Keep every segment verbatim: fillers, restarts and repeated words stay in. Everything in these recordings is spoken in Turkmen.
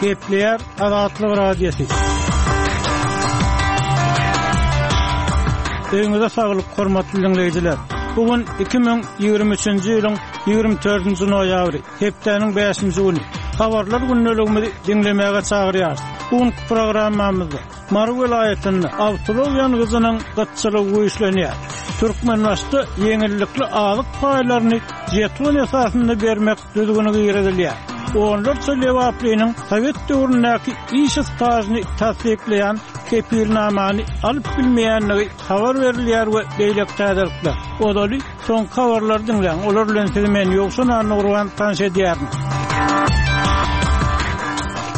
Gepleýär Azatlyk Radiosy. Öýüňize saglyk, hormatly diňleýjiler. Bu gün iki müň ýigrimi üçünji ýylyň ýigrimi dördünji noýabry, hepdäniň bäşinji güni. Habarlar gündeligimizi diňlemäge çagyrýarys. Bu günki programmamyzda Mary welaýatynda awtoulag ýangyjynyň gytçylygy güýçlenýär. Türkmenbaşyda ýeňillikli azyk paýlaryny jeton esasynda bermek düzgüni girizilýär. Onlarça lebaplynyň sowet döwründäki iş stažyny tassyklaýan kepilnamany alyp bilmeýändigi habar berilýär we beýleki täzelikler. Ozaly soňky habarlary diňläň. Olar bilen sizi men Ýowşan Annagurban tanyş edýärin.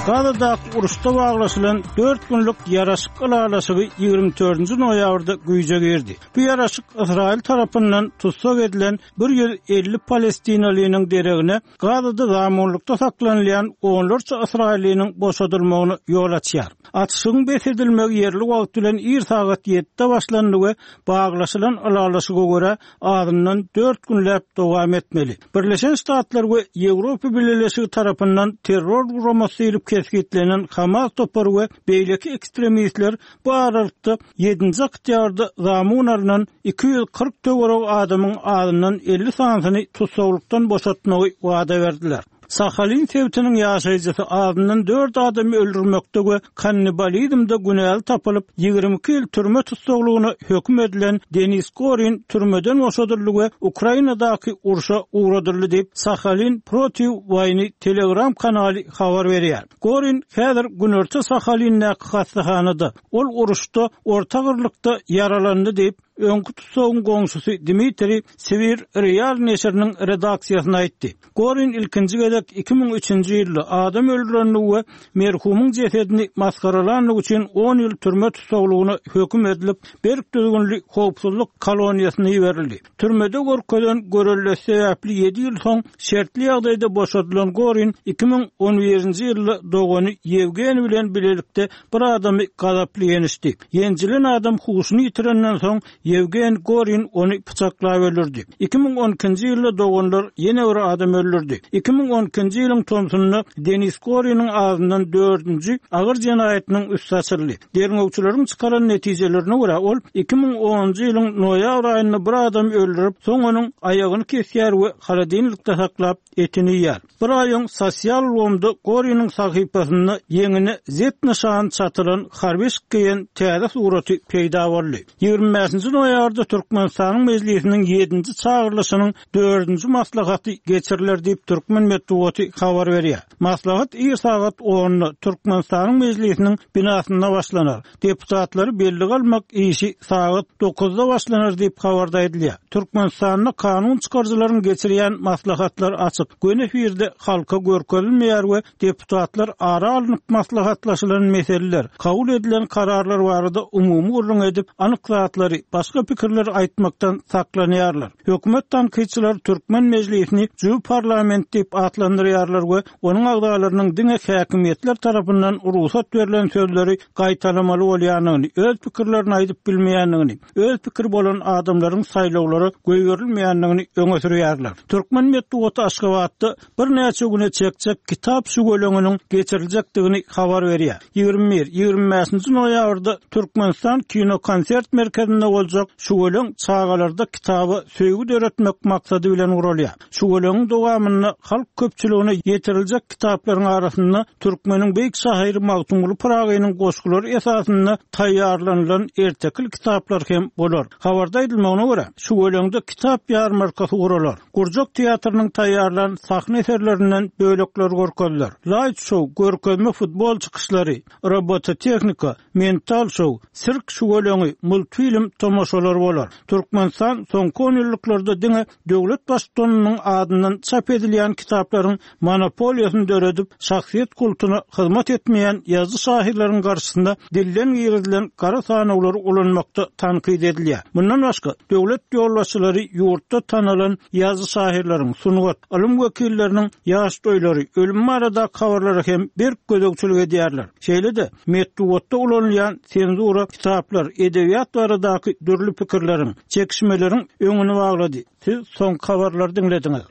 Gazadaky uruşda baglaşylan dört günlük ýaraşyk ylalaşygy ýigrimi dördünji noýabrda güýje girdi. Bu ýaraşyk Ysraýyl tarapyndan tussag edilen bir ýüz elli palestinalynyň deregine Gazada zamunlykda saklanylýan onlarça Ysraýylynyň boşadylmagyna ýol açýar. Atyşygyň bes edilmegi ýerli wagt bilen ir sagat ýedide başlandy we baglaşylan ylalaşyga görä azyndan dört günläp dowam etmeli. Birleşen Ştatlar we Ýewropa Bileleşigi tarapyndan terror guramasy diýlip kesgitlenen Hamas topary we beýleki ekstremistler bu aralykda ýedinji oktýabrda zamun alynan iki ýüz kyrk töweregi adamyň azyndan elli sanysyny tussaglykdan boşatmagy wada berdiler. Sahalin sebitiniň ýaşaýjysy azyndan dört adamy öldürmekde we kannibalizmde günäli tapylyp, ýigrimi iki ýyl türme tussaglygyna höküm edilen Denis Gorin türmeden boşadyldy we Ukrainadaky urşa ugradyldy diýip, Sahalin Protiv Wayny Telegram kanaly habar berýär. Gorin häzir Günorta Sahalindäki hastahanada, ol uruşda orta agyrlykda ýaralandy diýip, öňki tutsagyň goňşusy Dmitri Sibir Real neşiriniň redaksiýasyna aýtdy. Gorin ilkinji gezek iki müň üçünji ýylda adam öldürenligi we merhumyň jesedini maskaralanlygy üçin on ýyl türme tussaglygyna höküm edilip, berk düzgünli howpsuzlyk koloniýasyna iberildi. Türmede görkezen görelde sebäpli ýedi ýyl soň şertli ýagdaýda boşadylan Gorin iki müň on birinji ýylda dogany Ýewgeniý bilen bilelikde bir adamy gazaply ýenişdi. Ýenjilen adam huşuny ýitirenden soň Ýewgeniý Gorin ony pyçaklap öldürdi. Iki müň on ikinji ýylda doganlar ýene bir adam öldürdi. Iki müň on ikinji ýylyň tomsunda Denis Goriniň ağzından dördünji agyr jenaýatynyň üsti açyldy. Derňewçileriň çykaran netijelerine görä ol iki müň onunjy ýylyň noýabr aýynda bir adam öldürip, soň onuň aýagyny kesýär we holodilnikde saklap etini ýer. Bir aýyň sosial ulgamda Goriniň sahypasynda ýeňine Z nyşany çatylan harby geýen täze suraty peýda boldy. Ýigrimi bäşinji noýabrda Türkmenistanyň Mejlisiniň ýedinji çagyrylyşynyň dördünji maslahaty geçiriler diýip Türkmen metbugaty habar berýär. Maslahat ir sagat onda Türkmenistanyň Mejlisiniň binasynda başlanar. Deputatlary belli almak işi sagat dokuzda başlanar diýip habarda aýdylýar. Türkmenistanda kanun çykaryjylaryň geçirýän maslahatlar açyk, göni efirde halka görkezilmeýär we deputatlar ara alnyp maslahatlaşylan meseleler, kabul edilen kararlar barada umumy gürrüň edip, anyk zatlary, başga pikirleri aýtmakdan saklanýarlar. Hökümet tankytçylary Türkmen Mejlisini jüw parlament diýip atlandyrýarlar we onuň agzalarynyň diňe häkimiýetler tarapyndan rugsat berlen sözleri gaýtalamaly bolýandygyny, öz pikirlerini aýdyp bilmeýändigini, öz pikiri bolan adamlaryň saýlawlara goýberilmeýändigini öňe sürýärler. Türkmen metbugaty Aşgabatda birnäçe güne çekjek kitap şüweleňiniň geçiriljekdigini habar berýär. Ýigrimi bir, ýigrimi bäşinji noýabrda Türkmenistan kino konsert merkezinde boljak şüweleň çagalarda kitaba söýgi döretmek maksady bilen guralýar. Şüweleňiň dowamynda halk köpçüligine ýetiriljek kitaplaryň arasynda Türkmeniň beýik şahyry Magtymguly Pyragynyň goşgulary esasynda taýýarlanylan ertekil kitaplar hem bolar. Habarda aýdylmagyna görä, şüweleňde kitap ýarmarkasy guralar. Gurjak teatrynyň taýýarlan sahna eserlerinden bölekler görkeziler. Light show, görkezme futbol çykyşlary, robototehnika, mental show, sirk şüweleňi, multfilm tomaşalary bolar. Türkmenistan soňky on ýyllyklarda diňe döwlet baştutanynyň adyndan çap edilýän kitaplaryň monopoliýasyny döredip, şahsyýet kultuna hyzmat etmeýän ýazyjy şahyrlaryň garşysynda dilden girizilen gara sanawlary ulanmakda tankyt edilýär. Mundan başga, döwlet ýolbaşçylary ýurtda tanalan ýazyjy şahyrlaryň, sungat, ylym wekilleriniň ýaş toýlary, ölüm barada habarlara hem berk gözegçilik edýärler. Şeýle-de metbugatda ulanylýan senzura kitaplar, edebiýat baradaky dürli pikirleriň, çekişmeleriň öňüni baglady. Siz soňky habarlary diňlediňiz.